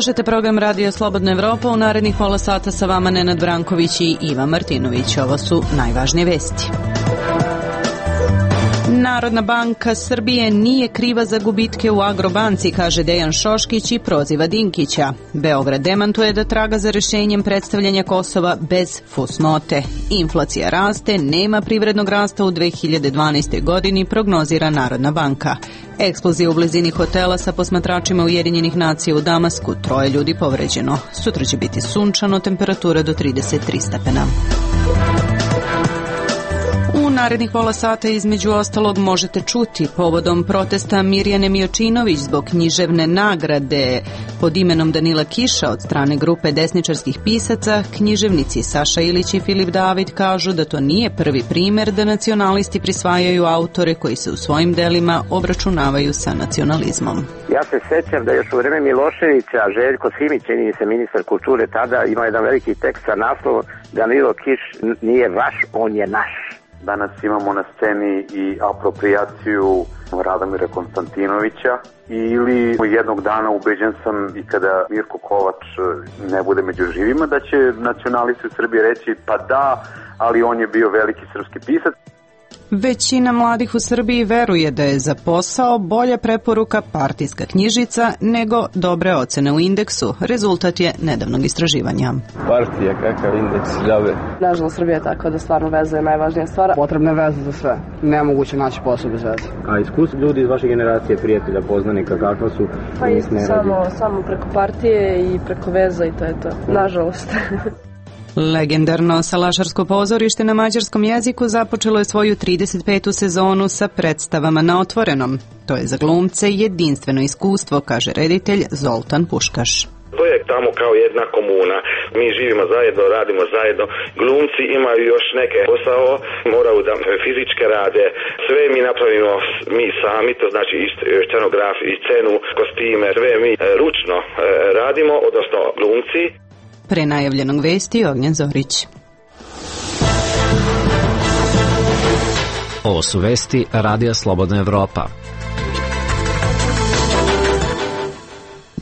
Slušajte program Radio Slobodna Evropa. U narednih pola sata sa vama Nenad Branković i Iva Martinović. Ovo su najvažnije vesti. Narodna banka Srbije nije kriva za gubitke u Agrobanci, kaže Dejan Šoškić i proziva Dinkića. Beograd demantuje da traga za rešenjem predstavljanja Kosova bez fusnote. Inflacija raste, nema privrednog rasta u 2012. godini, prognozira Narodna banka. Eksplozija u blizini hotela sa posmatračima Ujedinjenih nacija u Damasku, 3 ljudi povređeno. Sutra će biti sunčano, temperatura do 33 stepena. U narednih pola sata između ostalog možete čuti povodom protesta Mirjane Miočinović zbog književne nagrade pod imenom Danila Kiša od strane grupe desničarskih pisaca, književnici Saša Ilić i Filip David kažu da to nije prvi primer da nacionalisti prisvajaju autore koji se u svojim delima obračunavaju sa nacionalizmom. Ja se sećam da još u vreme Miloševića Željko Simić, čini se ministar kulture tada, imao jedan veliki tekst sa naslovom Danilo Kiš nije vaš, on je naš. Danas imamo na sceni i aproprijaciju Radomira Konstantinovića ili jednog dana ubeđen sam i kada Mirko Kovač ne bude među živima da će nacionalisti u Srbiji reći pa da, ali on je bio veliki srpski pisac. Većina mladih u Srbiji veruje da je za posao bolja preporuka partijska knjižica nego dobre ocene u indeksu. Rezultat je nedavnog istraživanja. Partija, kakav indeks, džabe. Nažalost, Srbija je tako da stvarno veza je najvažnija stvar. Potrebna je veza za sve. Nemoguće naći posao bez veze. A iskustvo ljudi iz vaše generacije, prijatelja, poznanika, kakva su? Pa samo preko partije i preko veza i to je to. Nažalost. Legendarno salašarsko pozorište na mađarskom jeziku započelo je svoju 35. sezonu sa predstavama na otvorenom. To je za glumce jedinstveno iskustvo, kaže reditelj Zoltan Puškaš. To je tamo kao jedna komuna. Mi živimo zajedno, radimo zajedno. Glumci imaju još neke posao, moraju da fizičke rade. Sve mi napravimo mi sami, to znači i scenograf, i scenu, kostime, sve mi ručno radimo, odnosno glumci. Pre najavljenog vesti Ognjen Zorić. Ovo su vesti Radija Slobodna Evropa.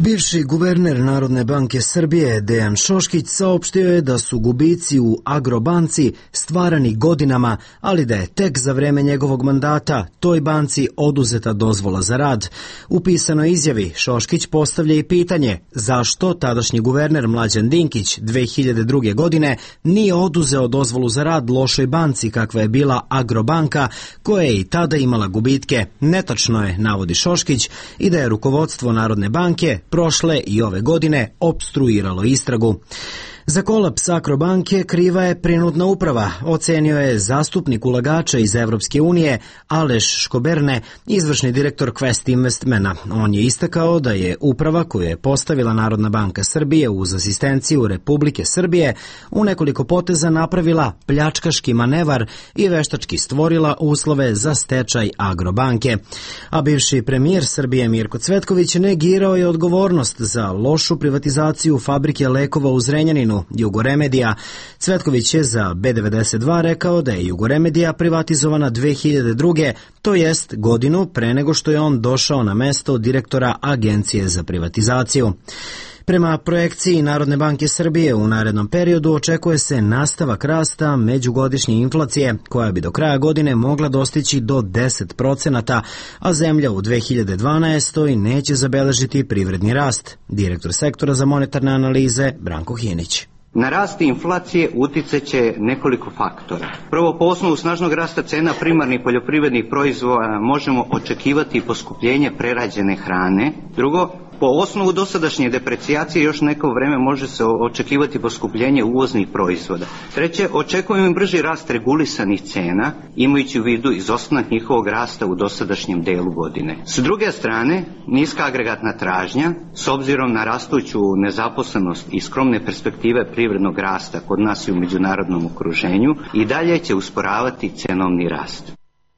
Bivši guverner Narodne banke Srbije Dejan Šoškić saopštio je da su gubici u Agrobanci stvarani godinama, ali da je tek za vreme njegovog mandata toj banci oduzeta dozvola za rad. U pisanoj izjavi Šoškić postavlja i pitanje zašto tadašnji guverner Mlađan Dinkić 2002. godine nije oduzeo dozvolu za rad lošoj banci kakva je bila Agrobanka, koja je i tada imala gubitke. Netačno je, navodi Šoškić, i da je rukovodstvo Narodne banke prošle i ove godine opstruiralo istragu. Za kolaps Agrobanke kriva je prinudna uprava, ocenio je zastupnik ulagača iz Evropske unije Aleš Škoberne, izvršni direktor Quest Investmana. On je istakao da je uprava koju je postavila Narodna banka Srbije uz asistenciju Republike Srbije u nekoliko poteza napravila pljačkaški manevar i veštački stvorila uslove za stečaj Agrobanke. A bivši premijer Srbije Mirko Cvetković negirao je odgovornost za lošu privatizaciju fabrike lekova u Zrenjaninu, Jugoremedija. Cvetković je za B92 rekao da je Jugoremedija privatizovana 2002. to jest godinu pre nego što je on došao na mesto direktora Agencije za privatizaciju. Prema projekciji Narodne banke Srbije u narednom periodu očekuje se nastavak rasta međugodišnje inflacije koja bi do kraja godine mogla dostići do 10%, a zemlja u 2012. neće zabeležiti privredni rast. Direktor sektora za monetarne analize Branko Hinić. Na rast inflacije uticat će nekoliko faktora. Prvo, po osnovu snažnog rasta cena primarnih poljoprivrednih proizvoda možemo očekivati poskupljenje prerađene hrane. Drugo, po osnovu dosadašnje deprecijacije još neko vreme može se očekivati poskupljenje uvoznih proizvoda. Treće, očekujemo brži rast regulisanih cena, imajući u vidu izostanak njihovog rasta u dosadašnjem delu godine. S druge strane, niska agregatna tražnja, s obzirom na rastuću nezaposlenost i skromne perspektive privrednog rasta kod nas i u međunarodnom okruženju, i dalje će usporavati cenovni rast.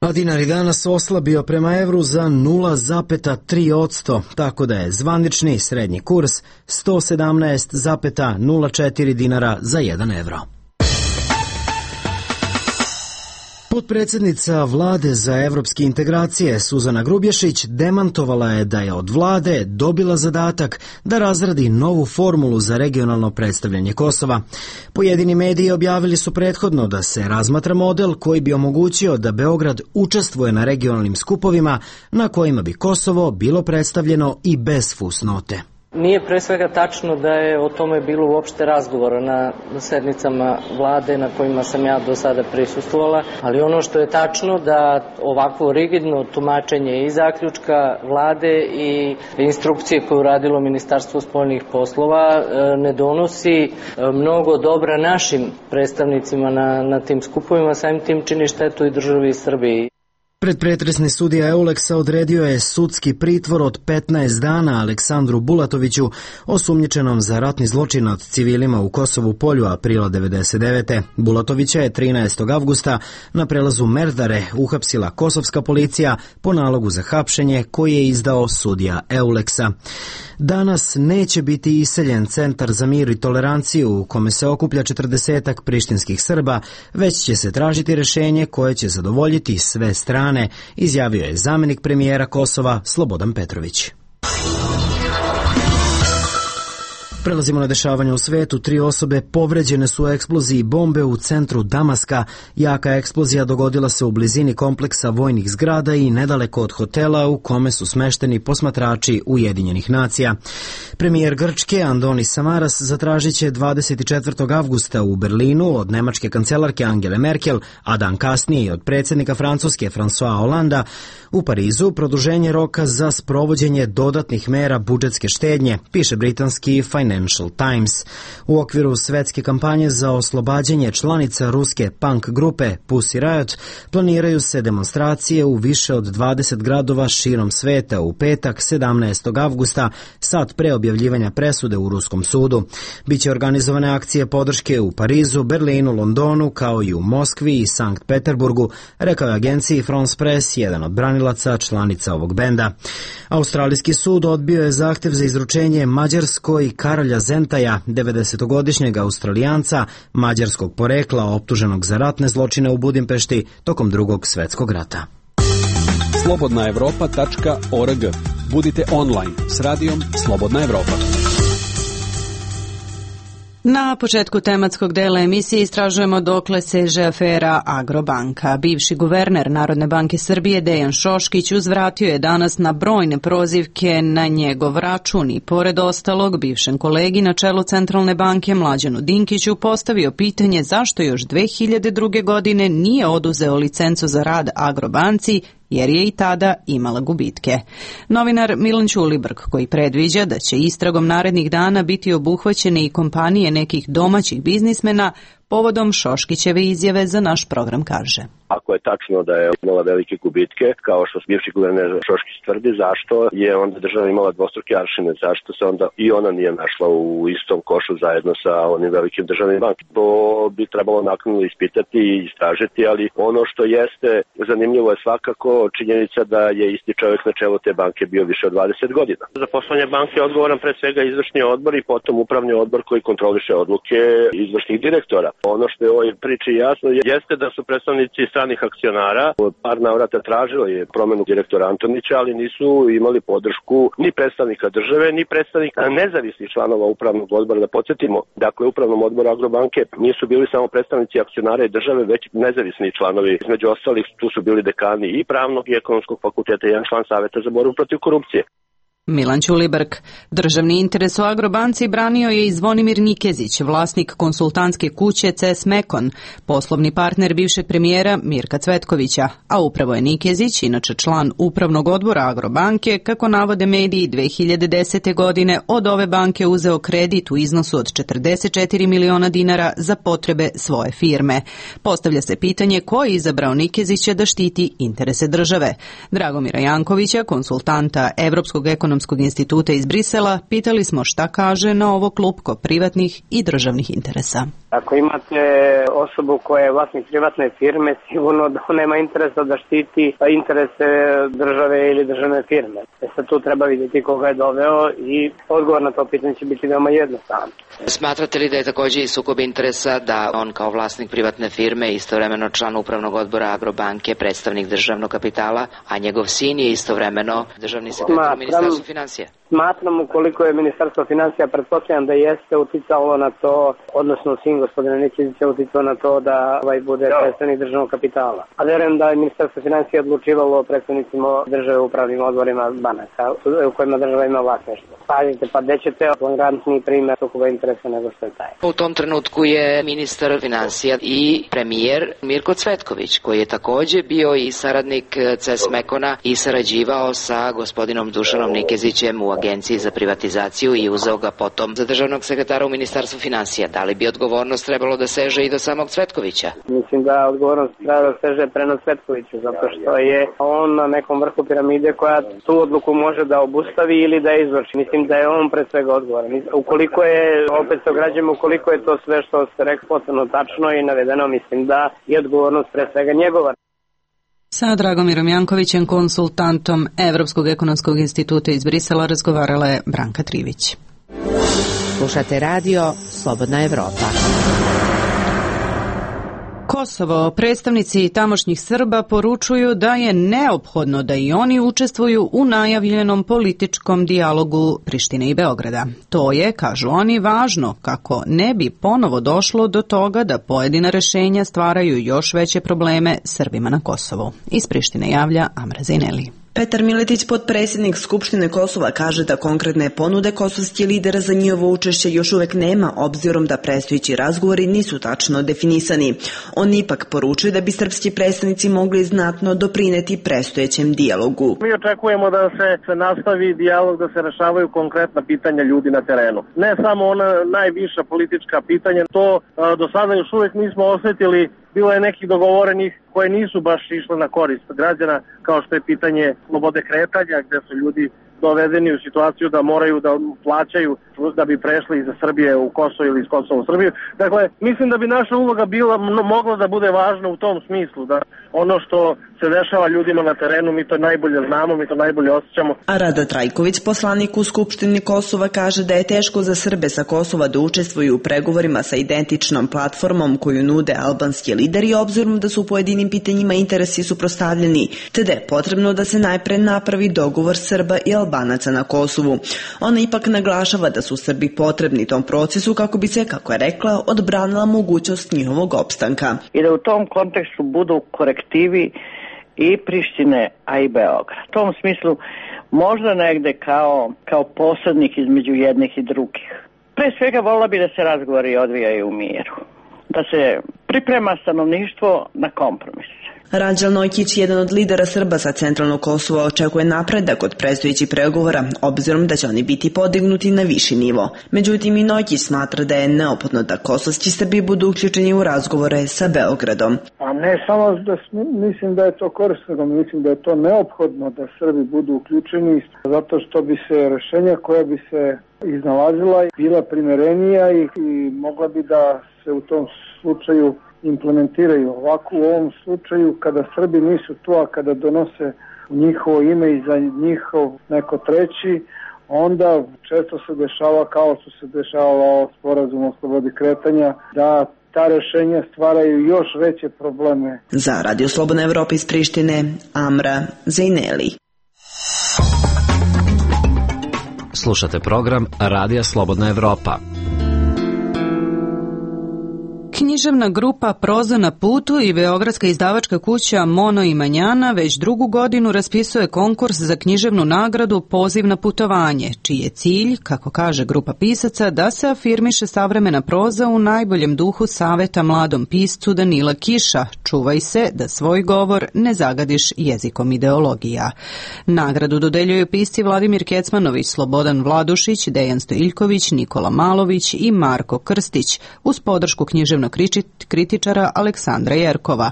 A dinar je danas oslabio prema evru za 0,3%, tako da je zvanični srednji kurs 117,04 dinara za 1 evro. Potpredsjednica Vlade za evropske integracije Suzana Grubješić demantovala je da je od Vlade dobila zadatak da razradi novu formulu za regionalno predstavljanje Kosova. Pojedini mediji objavili su prethodno da se razmatra model koji bi omogućio da Beograd učestvuje na regionalnim skupovima na kojima bi Kosovo bilo predstavljeno i bez fusnote. Nije pre svega tačno da je o tome bilo uopšte razgovora na sednicama vlade na kojima sam ja do sada prisustvovala, ali ono što je tačno da ovakvo rigidno tumačenje i zaključka vlade i instrukcije koje je uradilo Ministarstvo spoljnih poslova ne donosi mnogo dobra našim predstavnicima na tim skupovima, samim tim čini štetu i državi Srbiji. Predpretresni sudija Euleksa odredio je sudski pritvor od 15 dana Aleksandru Bulatoviću, osumnjičenom za ratni zločin nad civilima u Kosovu Polju aprila 1999. Bulatovića je 13. avgusta na prelazu Merdare uhapsila kosovska policija po nalogu za hapšenje koji je izdao sudija Euleksa. Danas neće biti iseljen Centar za mir i toleranciju u kome se okuplja 40-ak prištinskih Srba, već će se tražiti rješenje koje će zadovoljiti sve strane, izjavio je zamjenik premijera Kosova Slobodan Petrović. Prelazimo na dešavanje u svetu. 3 osobe povređene su u eksploziji bombe u centru Damaska. Jaka eksplozija dogodila se u blizini kompleksa vojnih zgrada i nedaleko od hotela u kome su smešteni posmatrači Ujedinjenih nacija. Premijer Grčke Andonis Samaras zatražit će 24. avgusta u Berlinu od nemačke kancelarke Angele Merkel, a dan kasnije od predsjednika Francuske François Hollanda u Parizu produženje roka za sprovođenje dodatnih mera budžetske štednje, piše britanski Financial Times. U okviru svetske kampanje za oslobađanje članica ruske punk grupe Pussy Riot planiraju se demonstracije u više od 20 gradova širom sveta u petak 17. avgusta, sat pre objavljivanja presude u ruskom sudu. Biće organizovane akcije podrške u Parizu, Berlinu, Londonu, kao i u Moskvi i Sankt Peterburgu, rekao je agenciji France Press jedan od branilaca članica ovog benda. Australijski sud odbio je zahtev za izručenje Mađarskoj Karolja Zentaja, 90-godišnjeg Australijanca mađarskog porekla optuženog za ratne zločine u Budimpešti tokom Drugog svjetskog rata. slobodnaevropa.org. Budite online s radijom Slobodna Evropa. Na početku tematskog dela emisije istražujemo dokle seže afera Agrobanka. Bivši guverner Narodne banke Srbije Dejan Šoškić uzvratio je danas na brojne prozivke na njegov račun i pored ostalog bivšem kolegi na čelu Centralne banke Mlađanu Dinkiću postavio pitanje zašto još 2002. godine nije oduzeo licencu za rad Agrobanci, jer je i tada imala gubitke. Novinar Milan Ćulibrk, koji predviđa da će istragom narednih dana biti obuhvaćene i kompanije nekih domaćih biznismena, povodom Šoškićeve izjave za naš program kaže: Ako je tačno da je imala velike gubitke, kao što bivši guverner Šoškić tvrdi, zašto je onda država imala dvostruke aršine, zašto se onda i ona nije našla u istom košu zajedno sa onim velikim državnim bankom. To bi trebalo naknadno ispitati i istražiti, ali ono što jeste zanimljivo je svakako činjenica da je isti čovjek na čelu te banke bio više od 20 godina. Za poslovanje banke je odgovoran pre svega izvršni odbor i potom upravni odbor koji kontroliše odluke izvršnih direktora. Ono što je u ovoj priči jasno jeste da su predstavnici stranih akcionara par navrata tražilo je promenu direktora Antonića, ali nisu imali podršku ni predstavnika države, ni predstavnika nezavisnih članova upravnog odbora. Da podsjetimo, dakle, u upravnom odboru Agrobanke nisu bili samo predstavnici akcionara i države, već nezavisni članovi. Između ostalih tu su bili dekani i pravnog i ekonomskog fakulteta i jedan član saveta za borbu protiv korupcije. Milan Ćulibrk. Državni interes u Agrobanci branio je i Zvonimir Nikezić, vlasnik konsultantske kuće CS Mekon, poslovni partner bivšeg premijera Mirka Cvetkovića, a upravo je Nikezić, inače član upravnog odbora Agrobanke, kako navode mediji, 2010. godine od ove banke uzeo kredit u iznosu od 44 miliona dinara za potrebe svoje firme. Postavlja se pitanje ko je izabrao Nikezića da štiti interese države. Dragomira Jankovića, konsultanta Evropskog ekonomskog Ekonomskog instituta iz Brisela, pitali smo šta kaže na ovo klupko privatnih i državnih interesa. Ako imate osobu koja je vlasnik privatne firme, sigurno da nema interesa da štiti interese države ili državne firme. Sad tu treba vidjeti koga je doveo i odgovor na to pitanje će biti veoma jednostavan. Smatrate li da je također i sukob interesa da on kao vlasnik privatne firme, istovremeno član upravnog odbora Agrobanke, predstavnik državnog kapitala, a njegov sin je istovremeno državni sekretar u Ministarstvu financija? Smatram, ukoliko je Ministarstvo financija, pretpostavljam da jeste uticalo na to, odnosno sin gospodina Nikezića uticalo na to da bude predstavnik državnog kapitala. A verujem da je Ministarstvo financija odlučivalo o predstavnicima države u upravnim odborima banaka u kojima država ima vlasništvo. Pazite, pa gde ćete flagrantniji primjer sukoba interesa nego što je taj. U tom trenutku je ministar financija i premijer Mirko Cvetković, koji je također bio i saradnik CES Mekona i sarađivao sa gospodinom Dušanom Nikezićem u Agenciji za privatizaciju i uzeo ga potom za državnog sekretara u Ministarstvu financija. Da li bi odgovornost trebalo da seže i do samog Cvetkovića? Mislim da odgovornost treba da seže prema Cvetkoviću, zato što je on na nekom vrhu piramide koja tu odluku može da obustavi ili da izvrši. Mislim da je on pre svega odgovoran. Ukoliko je, opet se ograđujemo, ukoliko je to sve što ste rekli potpuno tačno i navedeno, mislim da je odgovornost pre svega njegova. Sa Dragomirom Jankovićem, konsultantom Evropskog ekonomskog instituta iz Brisela, razgovarala je Branka Trivić. Slušate radio Slobodna Evropa. Kosovo, predstavnici tamošnjih Srba poručuju da je neophodno da i oni učestvuju u najavljenom političkom dijalogu Prištine i Beograda. To je, kažu oni, važno kako ne bi ponovo došlo do toga da pojedina rešenja stvaraju još veće probleme Srbima na Kosovu. Iz Prištine javlja Amra Zineli. Petar Miletić, potpredsjednik Skupštine Kosova, kaže da konkretne ponude kosovskih lidera za njihovo učešće još uvek nema, obzirom da predstojeći razgovori nisu tačno definisani. On ipak poručuje da bi srpski predstavnici mogli znatno doprineti predstojećem dijalogu. Mi očekujemo da se nastavi dijalog, da se rešavaju konkretna pitanja ljudi na terenu. Ne samo ona najviša politička pitanja, to do sada još uvek nismo osjetili. Bilo je nekih dogovorenih koje nisu baš išle na korist građana, kao što je pitanje slobode kretanja, gdje su ljudi dovedeni u situaciju da moraju da plaćaju da bi prešli iz Srbije u Kosovo ili iz Kosova u Srbiju. Dakle, mislim da bi naša uloga mogla da bude važna u tom smislu, da ono što se dešava ljudima na terenu, mi to najbolje znamo, mi to najbolje osjećamo. A Rado Trajković, poslanik u Skupštini Kosova, kaže da je teško za Srbe sa Kosova da učestvuju u pregovorima sa identičnom platformom koju nude albanski lideri, obzirom da su u pojedinim pitanjima interesi suprotstavljeni, te da je potrebno da se najpre napravi dogovor Srba i Albanaca na Kosovu. Ona ipak naglašava da su Srbi potrebni tom procesu kako bi se, kako je rekla, odbranila mogućnost njihovog opstanka. I da u tom kontekstu budu korektivi i Prištine, a i Beograd. U tom smislu možda negde kao posrednik između jednih i drugih. Pre svega volila bi da se razgovori odvijaju u miru. Da se priprema stanovništvo na kompromis. Ranđel Nojkić, jedan od lidera Srba sa centralnog Kosova, očekuje napredak od predstojećih pregovora, obzirom da će oni biti podignuti na viši nivo. Međutim, i Nojkić smatra da je neophodno da kosovski Srbi budu uključeni u razgovore sa Beogradom. A ne samo da mislim da je to korisno, mislim da je to neophodno da Srbi budu uključeni, zato što bi se rešenja koja bi se iznalazila bila primerenija i mogla bi da se u tom slučaju implementiraju. Ovako u ovom slučaju kada Srbi nisu tu, a kada donose u njihovo ime i za njihov neko treći, onda često se dešava kao što se dešava sporazum o slobodi kretanja, da ta rešenja stvaraju još veće probleme. Za Radio Slobodna Evropa iz Prištine, Amra Zejneli. Slušate program Radija Slobodna Evropa. Književna grupa Proza na putu i beogradska izdavačka kuća Mono i Manjana već drugu godinu raspisuje konkurs za književnu nagradu Poziv na putovanje, čiji je cilj, kako kaže grupa pisaca, da se afirmiše savremena proza u najboljem duhu saveta mladom piscu Danila Kiša: čuvaj se da svoj govor ne zagadiš jezikom ideologija. Nagradu dodeljuju pisci Vladimir Kecmanović, Slobodan Vladušić, Dejan Stojiljković, Nikola Malović i Marko Krstić, uz podršku književnog kritičara Aleksandra Jerkova.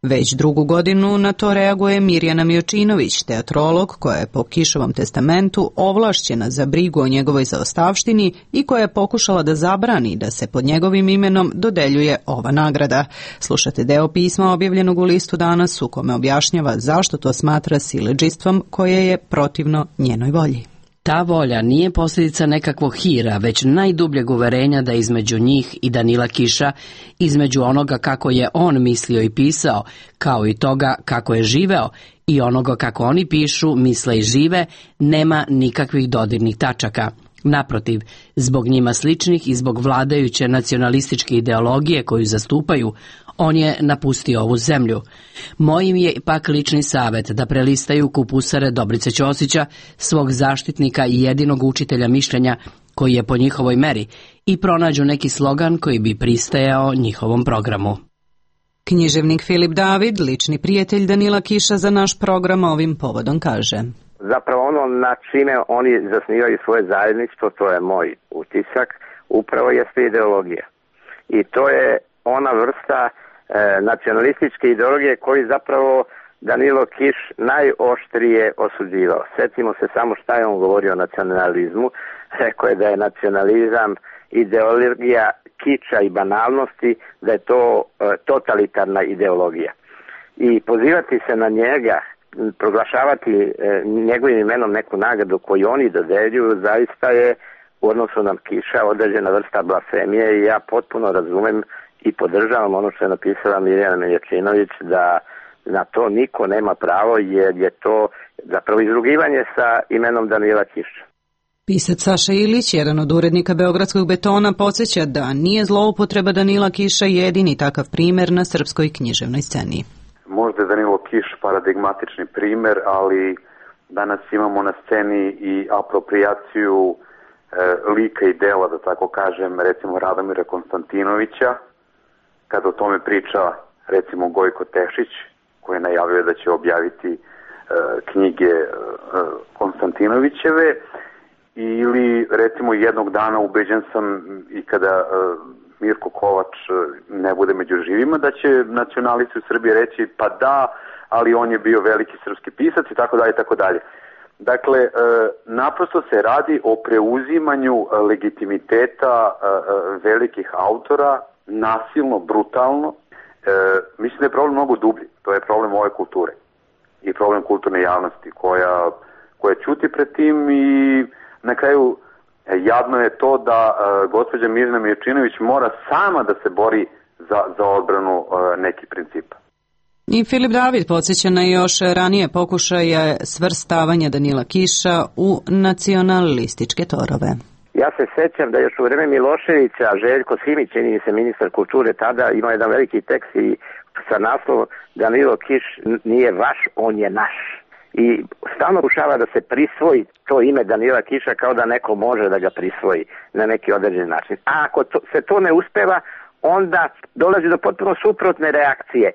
Već drugu godinu na to reaguje Mirjana Miočinović, teatrolog koja je po Kišovom testamentu ovlašćena za brigu o njegovoj zaostavštini i koja je pokušala da zabrani da se pod njegovim imenom dodeljuje ova nagrada. Slušate deo pisma objavljenog u listu Danas u kome objašnjava zašto to smatra siledžistvom koje je protivno njenoj volji. Ta volja nije posljedica nekakvog hira, već najdubljeg uverenja da između njih i Danila Kiša, između onoga kako je on mislio i pisao, kao i toga kako je živeo, i onoga kako oni pišu, misle i žive, nema nikakvih dodirnih tačaka. Naprotiv, zbog njima sličnih i zbog vladajuće nacionalističke ideologije koju zastupaju, on je napustio ovu zemlju. Mojim je pak lični savjet da prelistaju kupusare Dobrice Ćosića, svog zaštitnika i jedinog učitelja mišljenja koji je po njihovoj meri, i pronađu neki slogan koji bi pristajao njihovom programu. Književnik Filip David, lični prijatelj Danila Kiša, za naš program ovim povodom kaže: Zapravo ono na čime oni zasnivaju svoje zajedništvo, to je moj utisak, upravo jeste ideologija. I to je ona vrsta nacionalističke ideologije koji zapravo Danilo Kiš najoštrije osuđivao. Sjetimo se samo šta je on govorio o nacionalizmu. Rekao je da je nacionalizam ideologija kiča i banalnosti, da je to totalitarna ideologija. I pozivati se na njega, proglašavati njegovim imenom neku nagradu koju oni dodeljuju, zaista je u odnosu na Kiša određena vrsta blasfemije i ja potpuno razumem i podržavam ono što je napisala Mirjana Miočinović, da na to niko nema pravo jer je to zapravo izrugivanje sa imenom Danila Kiša. Pisac Saša Ilić, jedan od urednika Beogradskog Betona, podsjeća da nije zloupotreba Danila Kiša jedini takav primjer na srpskoj književnoj sceni. Možda je Danilo Kiš paradigmatični primjer, ali danas imamo na sceni i aproprijaciju lika i dela, da tako kažem, recimo Radomira Konstantinovića, kada o tome priča recimo Gojko Tešić, koji najavio da će objaviti knjige Konstantinovićeve, ili recimo jednog dana ubeđen sam i kada Mirko Kovač ne bude među živima, da će nacionalisti u Srbiji reći pa da, ali on je bio veliki srpski pisac i tako dalje i tako dalje. Dakle, naprosto se radi o preuzimanju legitimiteta velikih autora, nasilno, brutalno. Mislim da je problem mnogo dublji. To je problem ove kulture i problem kulturne javnosti koja ćuti pred tim i na kraju jadno je to da gospođa Mirjana Miočinović mora sama da se bori za odbranu nekih principa. I Filip David podsjeća na još ranije pokušaje svrstavanja Danila Kiša u nacionalističke torove. Ja se sećam da još u vreme Miloševića Željko Simić, čini se ministar kulture tada, imao jedan veliki tekst i sa naslovom Danilo Kiš nije vaš, on je naš. I stalno pokušava da se prisvoji to ime Danila Kiša kao da neko može da ga prisvoji na neki određen način. A ako se to ne uspeva, onda dolazi do potpuno suprotne reakcije.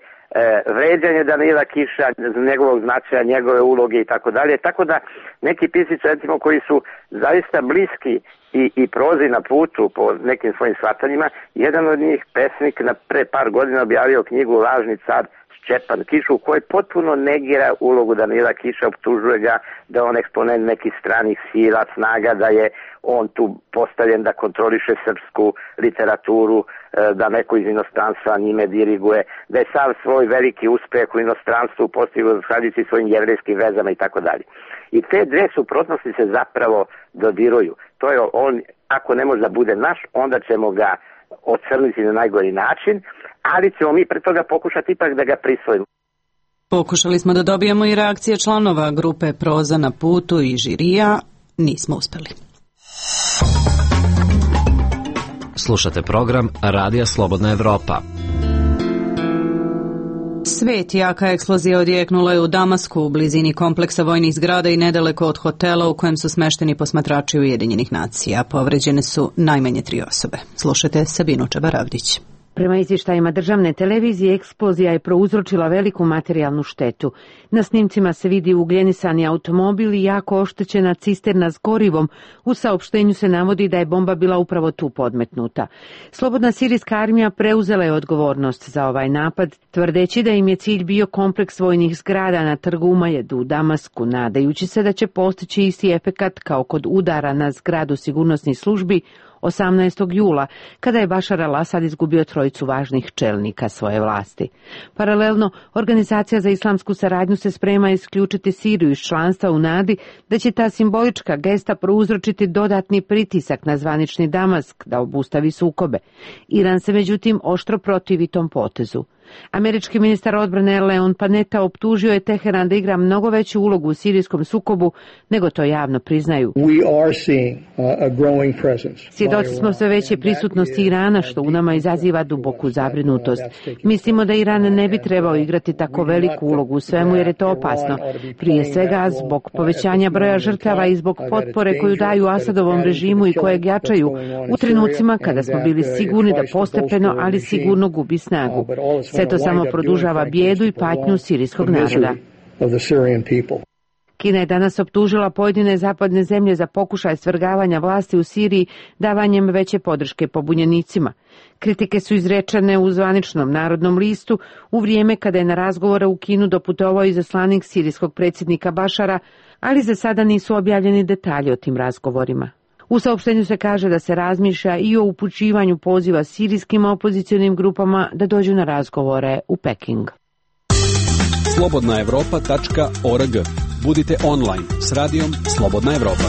Vređanje Danila Kiša, njegovog značaja, njegove uloge i tako dalje. Tako da neki pisci, recimo, koji su zaista bliski i prozi na putu po nekim svojim shvatanjima, jedan od njih, pesnik, pre par godina objavio knjigu Lažni car Šćepan Kiš, u kojoj potpuno negira ulogu Danila Kiša, optužuje ga da on eksponent nekih stranih sila, snaga, da je on tu postavljen da kontroliše srpsku literaturu, da neko iz inostranstva njime diriguje, da je sav svoj veliki uspeh u inostranstvu postigao zahvaljujući svojim jevrejskim vezama i tako dalje. I te dve suprotnosti se zapravo dodiruju. To je on, ako ne može da bude naš, onda ćemo ga ocrniti na najgori način, ali ćemo mi pre toga pokušati ipak da ga prisvojimo. Pokušali smo da dobijemo i reakcije članova grupe Proza na putu i žirija, nismo uspeli. Slušate program Radija Slobodna Evropa. Svet, jaka eksplozija odjeknula je u Damasku, u blizini kompleksa vojnih zgrada i nedaleko od hotela u kojem su smešteni posmatrači Ujedinjenih nacija. Povređene su najmanje 3 osobe. Slušajte Sabinu Čabaravdić. Prema izvještajima državne televizije, eksplozija je prouzročila veliku materijalnu štetu. Na snimcima se vidi ugljenisani automobil i jako oštećena cisterna s gorivom. U saopštenju se navodi da je bomba bila upravo tu podmetnuta. Slobodna sirijska armija preuzela je odgovornost za ovaj napad, tvrdeći da im je cilj bio kompleks vojnih zgrada na trgu Umajedu u Damasku, nadajući se da će postići isti efekat kao kod udara na zgradu sigurnosnih službi 18. jula, kada je Bašar al-Asad izgubio trojicu važnih čelnika svoje vlasti. Paralelno, Organizacija za islamsku saradnju se sprema isključiti Siriju iz članstva u nadi da će ta simbolička gesta prouzročiti dodatni pritisak na zvanični Damask da obustavi sukobe. Iran se međutim oštro protivi tom potezu. Američki ministar odbrane Leon Panetta optužio je Teheran da igra mnogo veću ulogu u sirijskom sukobu nego to javno priznaju. Svjedoci smo sve veće prisutnosti Irana, što u nama izaziva duboku zabrinutost. Mislimo da Iran ne bi trebao igrati tako veliku ulogu u svemu jer je to opasno. Prije svega zbog povećanja broja žrtava i zbog potpore koju daju Asadovom režimu i kojeg jačaju u trenucima kada smo bili sigurni da postepeno, ali sigurno gubi snagu. Sve to samo produžava bijedu i patnju sirijskog naroda. Kina je danas optužila pojedine zapadne zemlje za pokušaj svrgavanja vlasti u Siriji davanjem veće podrške pobunjenicima. Kritike su izrečene u zvaničnom Narodnom listu u vrijeme kada je na razgovore u Kinu doputovao izaslanik sirijskog predsjednika Bašara, ali za sada nisu objavljeni detalji o tim razgovorima. U saopštenju se kaže da se razmišlja i o upućivanju poziva sirijskim opozicionim grupama da dođu na razgovore u Peking. Slobodnaevropa.org. Budite online s radijom Slobodna Evropa.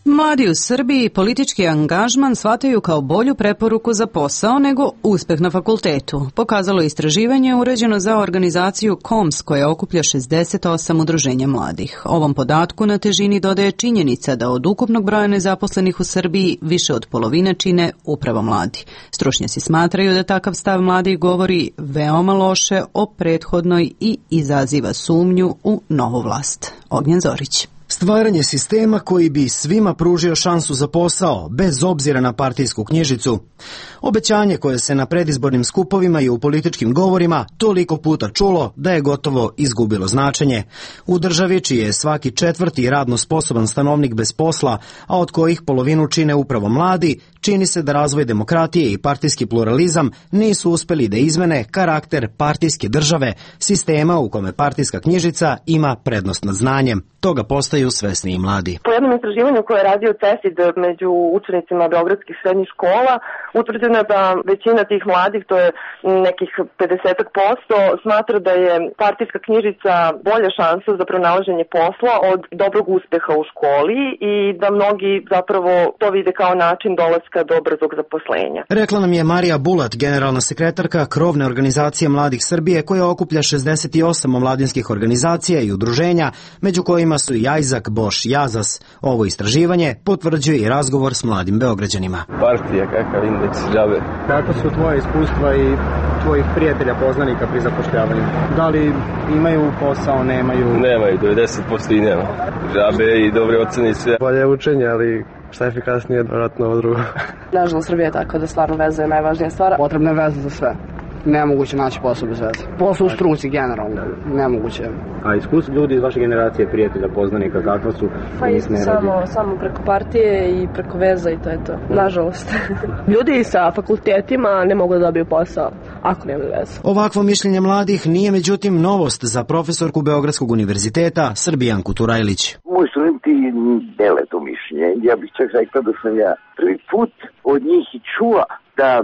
Mladi u Srbiji politički angažman shvataju kao bolju preporuku za posao nego uspeh na fakultetu. Pokazalo istraživanje uređeno za organizaciju KOMS koja okuplja 68 udruženja mladih. Ovom podatku na težini dodaje činjenica da od ukupnog broja nezaposlenih u Srbiji više od polovine čine upravo mladi. Stručnjaci smatraju da takav stav mladih govori veoma loše o prethodnoj i izaziva sumnju u novu vlast. Ognjen Zorić. Stvaranje sistema koji bi svima pružio šansu za posao, bez obzira na partijsku knjižicu. Obećanje koje se na predizbornim skupovima i u političkim govorima toliko puta čulo da je gotovo izgubilo značenje. U državi čiji je svaki četvrti radno sposoban stanovnik bez posla, a od kojih polovinu čine upravo mladi, čini se da razvoj demokratije i partijski pluralizam nisu uspeli da izmene karakter partijske države, sistema u kome partijska knjižica ima prednost nad znanjem. Toga postaju svesni i mladi. Po jednom istraživanju koje je radio CESID među učenicima beogradskih srednjih škola, utvrđeno je da većina tih mladih, to je nekih 50%, smatra da je partijska knjižica bolja šansa za pronalaženje posla od dobrog uspeha u školi i da mnogi zapravo to vide kao način dolaska do brzog zaposlenja. Rekla nam je Marija Bulat, generalna sekretarka krovne organizacije Mladih Srbije koja okuplja 68 omladinskih organizacija i udruženja, među kojima su i Ajzak, Boš, Jazas. Ovo istraživanje potvrđuje i razgovor s mladim Beograđanima. Partija, kakav indeks džabe. Kako su tvoje iskustva i tvojih prijatelja, poznanika pri zapošljavanju? Da li imaju posao, nemaju? Nemaju, 90% i nema. Džabe i dobre ocene i sve. Bolje učenje, ali šta je efikasnije, vjerojatno ovo drugo. Nažalost, Srbija je tako da stvarno veza je najvažnija stvar. Potrebna je veza za sve. Nemoguće naći posao bez veze. Posao u struci generalno, nemoguće. A iskustvo ljudi iz vaše generacije, prijatelja, poznanika, kakva su? Pa isto samo preko partije i preko veza i to je to. Nažalost. Ljudi sa fakultetima ne mogu da dobiju posao ako nemaju veze. Ovakvo mišljenje mladih nije međutim novost za profesorku Beogradskog univerziteta Srbijanku Turajlić. Moji studenti dele to mišljenje. Ja bih čak rekla da sam ja prvi put od njih i čula da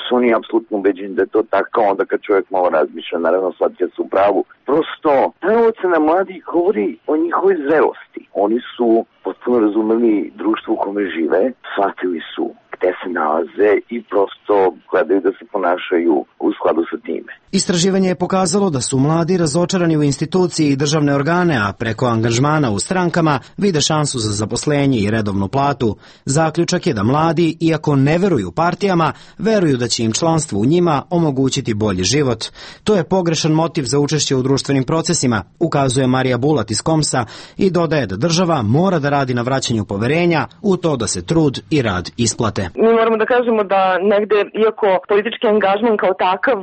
su oni apsolutno ubeđeni da je to tako, onda kad čovjek malo razmišlja, naravno shvatio su u pravu. Prosto, ta ocena mladih govori o njihovoj zrelosti. Oni su potpuno razumeli društvo u kome žive, shvatili su gde se nalaze i prosto gledaju da se ponašaju u skladu sa time. Istraživanje je pokazalo da su mladi razočarani u instituciji i državne organe, a preko angažmana u strankama vide šansu za zaposlenje i redovnu platu. Zaključak je da mladi, iako ne veruju partijama, veruju da će im članstvo u njima omogućiti bolji život. To je pogrešan motiv za učešće u društvenim procesima, ukazuje Marija Bulat iz Komsa i dodaje da država mora da radi na vraćanju poverenja u to da se trud i rad isplate. Mi moramo da kažemo da negde, iako politički angažman kao takav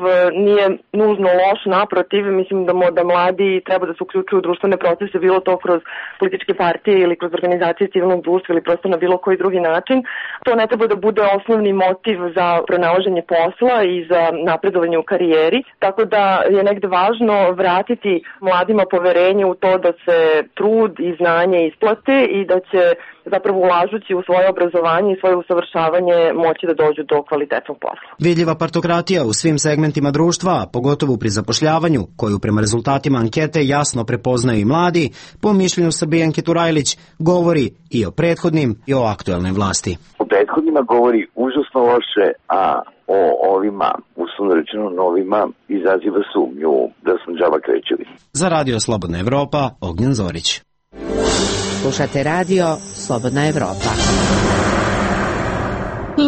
nije nužno loš, naprotiv, mislim da mladi treba da se uključuju u društvene procese, bilo to kroz političke partije ili kroz organizacije civilnog društva ili prosto na bilo koji drugi način. To ne treba da bude osnovni motiv za pronalaženje posla i za napredovanje u karijeri, tako da je negde važno vratiti mladima poverenje u to da se trud i znanje isplate i da će zapravo ulažući u svoje obrazovanje i svoje usavršavanje moći da dođu do kvalitetnog posla. Vidljiva partokratija u svim segmentima društva, pogotovo pri zapošljavanju, koju prema rezultatima ankete jasno prepoznaju i mladi, po mišljenju Srbijanke Turajlić, govori i o prethodnim i o aktuelnoj vlasti. O prethodnima govori užasno loše, a o ovima, uslovno rečeno novima, izaziva sumnju da smo džaba krećevi. Za Radio Slobodna Evropa, Ognjen Zorić. Slušate radio Slobodna Evropa.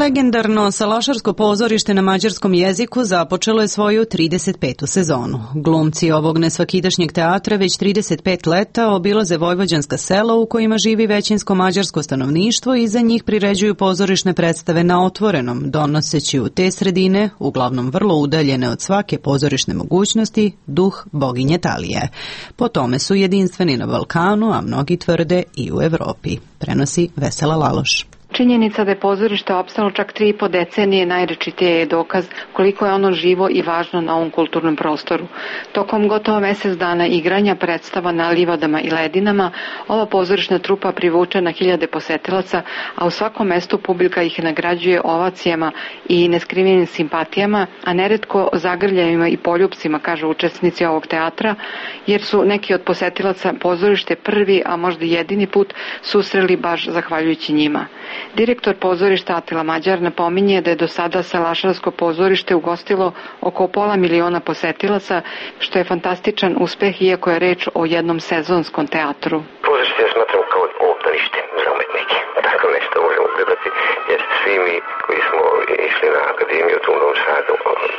Legendarno Salašarsko pozorište na mađarskom jeziku započelo je svoju 35. sezonu. Glumci ovog nesvakidašnjeg teatra već 35 leta obilaze vojvođanska sela u kojima živi većinsko mađarsko stanovništvo i za njih priređuju pozorišne predstave na otvorenom, donoseći u te sredine, uglavnom vrlo udaljene od svake pozorišne mogućnosti, duh boginje Talije. Po tome su jedinstveni na Balkanu, a mnogi tvrde i u Evropi. Prenosi Vesela Laloš. Činjenica da je pozorište opstalo čak 3,5 decenije najrečitije je dokaz koliko je ono živo i važno na ovom kulturnom prostoru. Tokom gotovo mesec dana igranja predstava na livadama i ledinama, ova pozorišna trupa privuče na hiljade posetilaca, a u svakom mestu publika ih nagrađuje ovacijama i neskrivenim simpatijama, a neretko zagrljajima i poljupcima, kažu učesnici ovog teatra, jer su neki od posetilaca pozorište prvi, a možda jedini put susreli baš zahvaljujući njima. Direktor pozorišta Atila Mađar napominje da je do sada Salašarsko pozorište ugostilo oko 500.000 posetilaca, što je fantastičan uspeh, iako je reč o jednom sezonskom teatru. Pozorište ja smatram kao obdanište za umetnike. Tako nešto možemo gledati, jer svi mi koji smo išli na akademiju u Novom Sadu,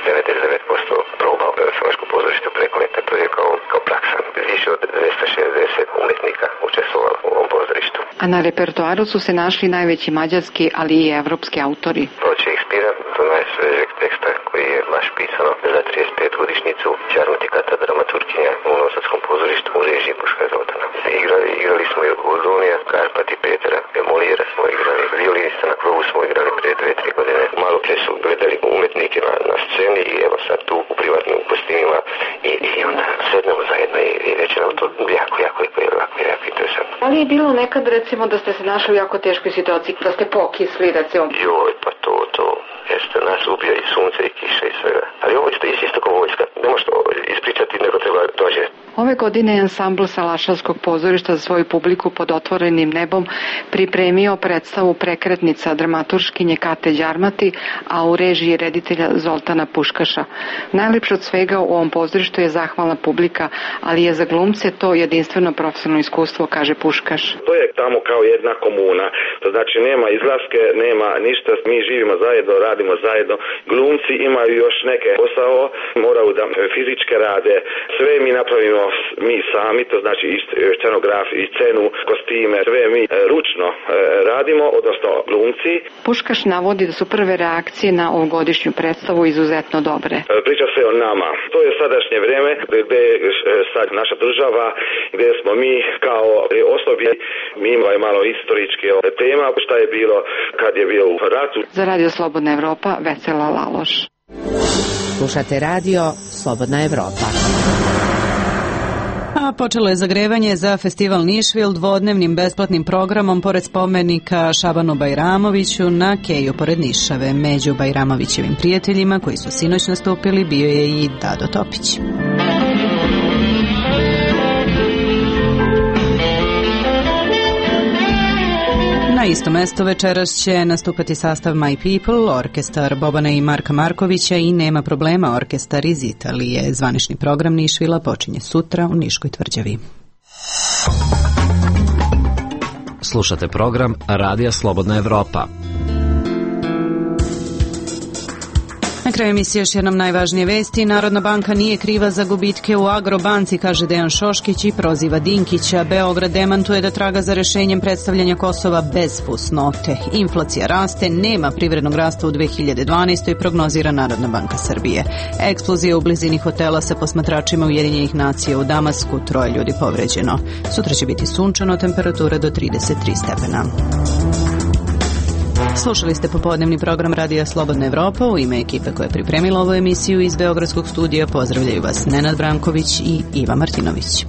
99% proba Salaško pozorište preko leta, to je kao praksa. Više od 260 umetnika učestvovalo u ovom pozorištu. A na repertoaru su se našli najveći mađarski, ali i evropski autori. Proće Ekspira, to najsvežeg teksta koji je baš pisano za 35 godišnjicu Čarmatikata, dramaturginja u Novosadskom pozorištu u režiji Boška Zoltana. Igrali smo i Gordonija, Karpati, Petera, Molijera smo igrali, violinista na krovu smo igrali prije 2-3 godine. Malo prije su gledali umetnike na sceni i evo sad tu u privatnim kostimima i onda sednemo zajedno i reći nam to jako interesantno. Ali je bilo nekad recimo da ste se našli u jako teškoj situaciji, da ste pokisli recimo? Joj, pa to jeste, nas ubija i sunce i kiša i svega. Ali ovo je isto kao vojska, ne možeš to ispričati, nego treba dođe. Ove godine je ansambl Salašarskog pozorišta za svoju publiku pod otvorenim nebom pripremio predstavu Prekretnica dramaturškinje Kate Đarmati, a u režiji reditelja Zoltana Puškaša. Najlepše od svega u ovom pozorištu je zahvalna publika, ali je za glumce to jedinstveno profesionalno iskustvo, kaže Puškaš. To je tamo kao jedna komuna, to znači nema izlaske, nema ništa, mi živimo zajedno, radimo zajedno, glumci imaju još neke posao, moraju da fizičke rade, sve mi napravimo mi sami, to znači i scenograf, i scenu, kostime, sve mi ručno radimo, odnosno glumci. Puškaš navodi da su prve reakcije na ovogodišnju predstavu izuzetno dobre. Priča se o nama. To je sadašnje vreme gde je sad naša država, gde smo mi kao osobi, mi imamo malo istoričke tema, šta je bilo kad je bio u ratu. Za Radio Slobodna Evropa, Vesela Laloš. Slušate radio Slobodna Evropa. A počelo je zagrevanje za festival Nišvil dvodnevnim besplatnim programom pored spomenika Šabanu Bajramoviću na Keju pored Nišave. Među Bajramovićevim prijateljima koji su sinoć nastupili bio je i Dado Topić. Na isto mesto večeras će nastupati sastav My People, orkestar Bobana i Marka Markovića i Nema problema, orkestar iz Italije. Zvanični program Nišvila počinje sutra u Niškoj tvrđavi. Slušate program Radija Slobodna Evropa. Na kraju emisije još jednom najvažnije vesti. Narodna banka nije kriva za gubitke u Agrobanci, kaže Dejan Šoškić i proziva Dinkića. Beograd demantuje da traga za rešenjem predstavljanja Kosova bez fusnote. Inflacija raste, nema privrednog rasta u 2012. prognozira Narodna banka Srbije. Eksplozija u blizini hotela sa posmatračima Ujedinjenih nacija u Damasku, 3 ljudi povređeno. Sutra će biti sunčano, temperatura do 33 stepena. Slušali ste popodnevni program Radija Slobodna Evropa. U ime ekipe koja je pripremila ovu emisiju iz Beogradskog studija pozdravljaju vas Nenad Branković i Iva Martinović.